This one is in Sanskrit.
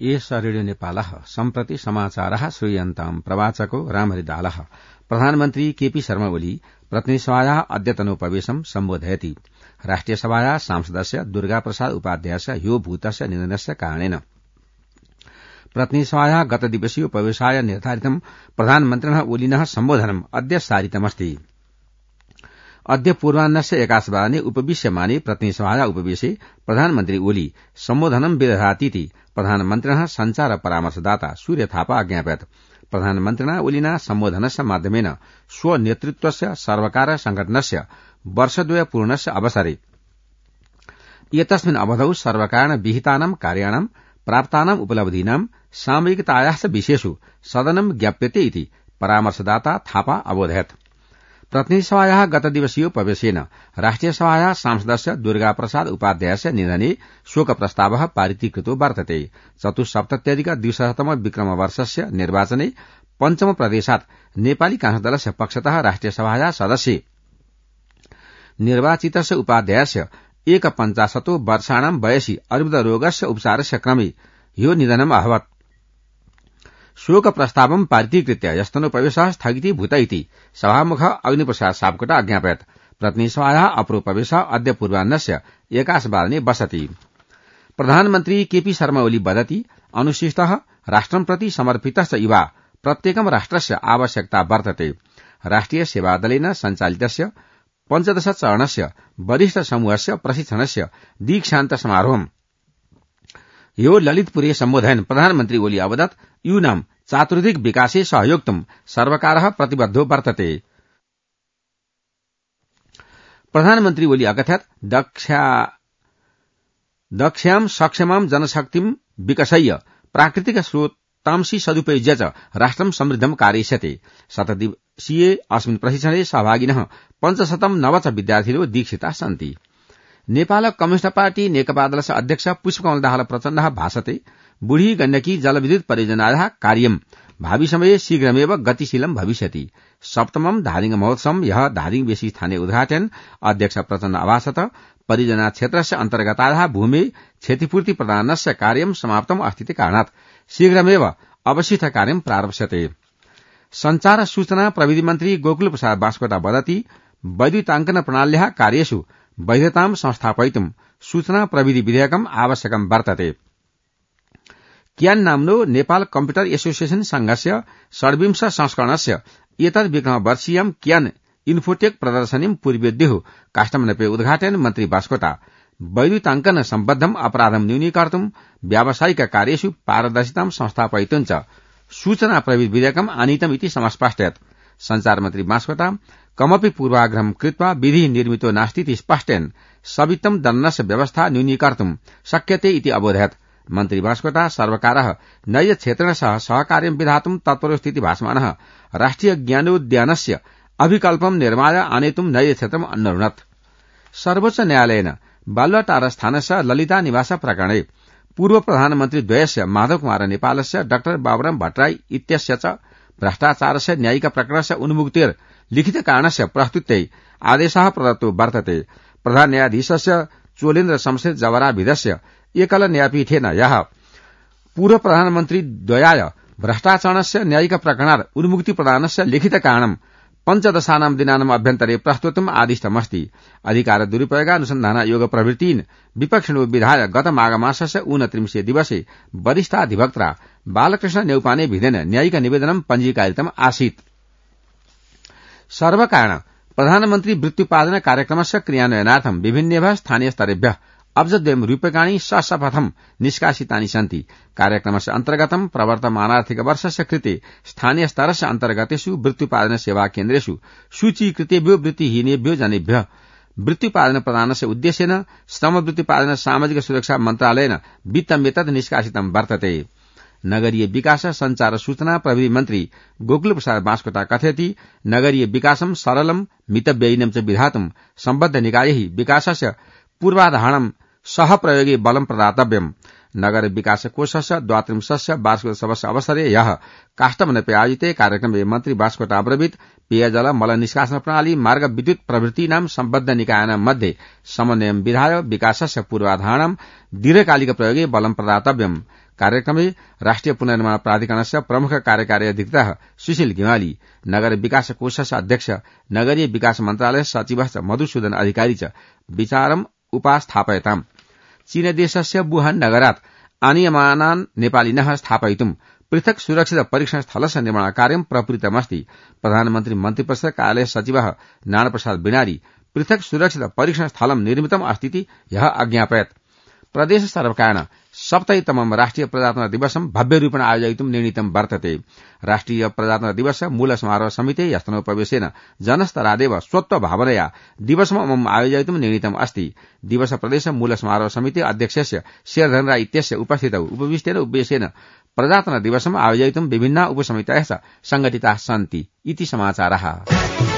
एष रेडियो नेपालः सम्प्रति समाचारः श्रूयन्ताम् प्रवाचको रामहरिदालः। प्रधानमन्त्री केपी शर्मा ओली प्रतिनिधिसभायाः अद्यतनोपवेशम् सम्बोधयति। राष्ट्रियसभायाः सांसदस्य दुर्गाप्रसाद उपाध्यायस्य ह्यो भूतस्य निधनस्य कारणेन प्रतिनिधिसभायाः गतदिवसीयोपवेशाय निर्धारितं प्रधानमन्त्रिणः ओलिनः सम्बोधनम् अद्य सारितमस्ति। अद्य पूर्वाह्नस्य 11:00 उपविश्यमाने प्रतिनिधिसभायाः उपवेशे प्रधानमन्त्री ओली सम्बोधनं विदधातीति प्रधानमन्त्रिणः सञ्चार परामर्शदाता सूर्य थापा अज्ञापयत्। प्रधानमन्त्रिणा ओलिना सम्बोधनस्य माध्यमेन स्वनेतृत्वस्य सर्वकार संघटनस्य वर्षद्वय पूर्णस्य अवसरे एतस्मिन् अवधौ सर्वकारेण विहितानां कार्याणां प्राप्तानां उपलब्धीनां सामयिकतायाः च विषयेषु सदनं ज्ञाप्यते इति परामर्शदाता थापा अबोधयत्। प्रतिनिधिसभायाः गतदिवसीयोपवेशेन राष्ट्रियसभायाः सांसदस्य दुर्गाप्रसाद उपाध्यायस्य निधने शोकप्रस्तावः पारितीकृतो वर्तते। 74+200तम विक्रमवर्षस्य निर्वाचने पञ्चम प्रदेशात् नेपाली कांग्रेस दलस्य पक्षतः राष्ट्रियसभायाः सदस्ये निर्वाचितस्य उपाध्यायस्य 51 वर्षाणां वयसि अर्बुदरोगस्य उपचारस्य क्रमे ह्यो निधनम् अभवत्। शोकप्रस्तावं पारितीकृत्य यस्तनोपवेशः स्थगितीभूत इति सभामुख अग्निप्रसाद सापकोटा अज्ञापयत्। प्रतिनिधिसभायाः अप्रोपवेशः अद्य पूर्वाह्नस्य 11:00 बसति। प्रधानमन्त्री केपी शर्मा ओली वदति अनुशिष्टः राष्ट्रं प्रति समर्पितश्च इवा प्रत्येकं राष्ट्रस्य आवश्यकता वर्तते। राष्ट्रिय सेवादलेन सञ्चालितस्य 15 चरणस्य वरिष्ठ समूहस्य प्रशिक्षणस्य दीक्षान्त समारोहम् यो ललितपुरे सम्बोधयन् प्रधानमन्त्री ओली अवदत् यूनां चातुर्दिक विकासे सहयोक्तुं सर्वकारः प्रतिबद्धो वर्तते। प्रधानमन्त्री ओली अकथयत् दक्ष्यां सक्षमां जनशक्तिं विकसय्य प्राकृतिक स्रोतांसि सदुपयुज्य च राष्ट्रं समृद्धं कारयिष्यते। 7 दिवसीये अस्मिन् प्रशिक्षणे सहभागिनः 509 विद्यार्थिनो दीक्षिताः सन्ति। नेपाल कम्युनिष्ट पार्टी नेकपा दलस्य अध्यक्ष पुष्पकमल दाहाल प्रचण्डः भाषते बुढी गण्डकी जलविद्युत परियोजनायाः कार्यं भावी समये शीघ्रमेव गतिशीलं भविष्यति। 7मं धादिङ महोत्सवं यः धादिङवेशी स्थाने उद्घाटयन् अध्यक्ष प्रचण्ड अभाषत परियोजना क्षेत्रस्य अन्तर्गतायाः भूमे क्षतिपूर्ति प्रदानस्य कार्यं समाप्तम् अस्ति कारणात् शीघ्रमेव अवशिष्ट कार्यं प्रारप्स्यते। सञ्चार सूचना प्रविधि मन्त्री गोकुल प्रसाद बास्कोटा वदति वैद्युताङ्कन प्रणाल्याः कार्येषु वैधतां संस्थापयितुं सूचना प्रविधि विधेयकम् आवश्यकं वर्तते। क्यान नाम्नो नेपाल कम्प्युटर एसोसिएशन संघस्य 26 संस्करणस्य एतद् विक्रमवर्षीयं क्यान इन्फोटेक प्रदर्शनीं पूर्वेद्युः काष्ठमण्डपे उद्घाटयन् मन्त्री बास्कोटा वैद्युताङ्कन सम्बद्धम् अपराधं न्यूनीकर्तुं व्यावसायिक कार्येषु पारदर्शितां संस्थापयितुं च सूचना प्रविधि विधेयकम् आनीतम् इति समस्पष्टयत्। सञ्चार मन्त्री बास्कोटा कमपि पूर्वाग्रहं कृत्वा विधि निर्मितो नास्तीति स्पष्टयन् सवित्तं दण्डस्य व्यवस्था न्यूनीकर्तुं शक्यते इति अबोधयत्। मन्त्री बास्कोटा सर्वकारः नैज क्षेत्रेण सह सहकार्यं विधातुं तत्परोस्थिति भासमानः राष्ट्रिय ज्ञानोद्यानस्य अभिकल्पं निर्माय आनेतुं नैज क्षेत्रम् अन्नरुणत्। सर्वोच्च न्यायालयेन बालुवाटार स्थानस्य ललिता निवास प्रकरणे पूर्व प्रधानमन्त्री द्वयस्य माधव कुमार नेपालस्य डा बाबुराम भट्टराई इत्यस्य च भ्रष्टाचारस्य न्यायिक प्रकरणस्य उन्मुक्तेर् लिखित कारणस्य प्रस्तुत्यै आदेशः प्रदत्तो वर्तते। प्रधान न्यायाधीशस्य चोलेन्द्र शमशेर जवराभिधस्य एकल न्यायपीठेन यः पूर्व प्रधानमन्त्री द्वयाय भ्रष्टाचारस्य न्यायिक प्रकरणात् उन्मुक्ति प्रदानस्य लिखित कारणं 15 दिनानाम् अभ्यन्तरे प्रस्तुतम् आदिष्टमस्ति। अधिकार दुरुपयोगानुसन्धान योग प्रवृत्तीन् विपक्षिणो विधाय गत माघमासस्य 29 दिवसे वरिष्ठाधिवक्ता बालकृष्ण नेउपाने भिदेन न्यायिक निवेदनं पञ्जीकारितम् आसीत्। सर्वकारेण प्रधानमन्त्री वृत्त्युत्पादन कार्यक्रमस्य क्रियान्वयनार्थं विभिन्नेभ्यः स्थानीय स्तरेभ्यः अब्जद्वयं रूप्यकाणि सशपथं निष्कासितानि सन्ति। कार्यक्रमस्य अन्तर्गतं प्रवर्तमानार्थिक वर्षस्य कृते स्थानीय स्तरस्य अन्तर्गतेषु वृत्त्युत्पादन सेवा केन्द्रेषु सूचीकृतेभ्यो वृत्तिहीनेभ्यो जनेभ्यः वृत्त्युत्पादन प्रदानस्य उद्देश्येन श्रम वृत्त्युत्पादन सामाजिक सुरक्षा मन्त्रालयेन वित्तमेतत् निष्कासितं वर्तते। नगरीय विकास संचार सूचना प्रविधि मन्त्री गोकुल प्रसाद बास्कोटा कथयति नगरीय विकासं सरलं मितव्ययिनं च विधातुं सम्बद्ध निकायैः विकासस्य पूर्वाधारणं सहप्रयोगे बलं प्रदातव्यम्। नगर विकास कोषस्य 32 वार्षिकोत्सवस्य अवसरे यः काष्ठमण्डपे आयोजिते कार्यक्रमे मन्त्री बास्कोटा अब्रवीत् पेयजल मल निष्कासन प्रणाली मार्ग विद्युत प्रभृतीनां सम्बद्ध निकायानां मध्ये समन्वयं विधाय विकासस्य पूर्वाधारणं दीर्घकालिक प्रयोगे बलं प्रदातव्यम्। कार्यक्रमे राष्ट्रिय पुनर्निर्माण प्राधिकरणस्य प्रमुख कार्यकारी अधिकृतः सुशील गिमाली नगर विकास कोषस्य अध्यक्ष नगरीय विकास मन्त्रालय सचिवश्च मधुसूदन अधिकारी च विचारम् उपास्थापयताम् चीनदेशस्य वुहान नगरात् आनीयमानान् नेपालिनः स्थापयितुम् पृथक् सुरक्षित परीक्षण स्थलस्य निर्माणकार्यं प्रवृत्तमस्ति प्रधानमन्त्री मन्त्रिपरिषद कार्यालय सचिवः नारायणप्रसाद बिनारी पृथक् सुरक्षित परीक्षण स्थलं निर्मितम् अस्तीति ह्यः अज्ञापयत् प्रदेश सर्वकारेण 70तमं राष्ट्रिय प्रजातन्त्र दिवसं भव्यरूपेण आयोजयितुं निर्णीतं वर्तते राष्ट्रिय प्रजातन्त्र दिवस मूल समारोह समिते यस्तनोपवेशेन जनस्तरादेव स्वत्वभावनया दिवसमम् आयोजयितुं निर्णीतम् अस्ति दिवस प्रदेश मूल समारोह समिति अध्यक्षस्य शेरधन राय इत्यस्य उपस्थितौ उपविष्टेन उपवेशेन प्रजातन्त्र दिवसम् आयोजयितुं विभिन्ना उपसमितयः संघटिताः सन्ति इति समाचारः।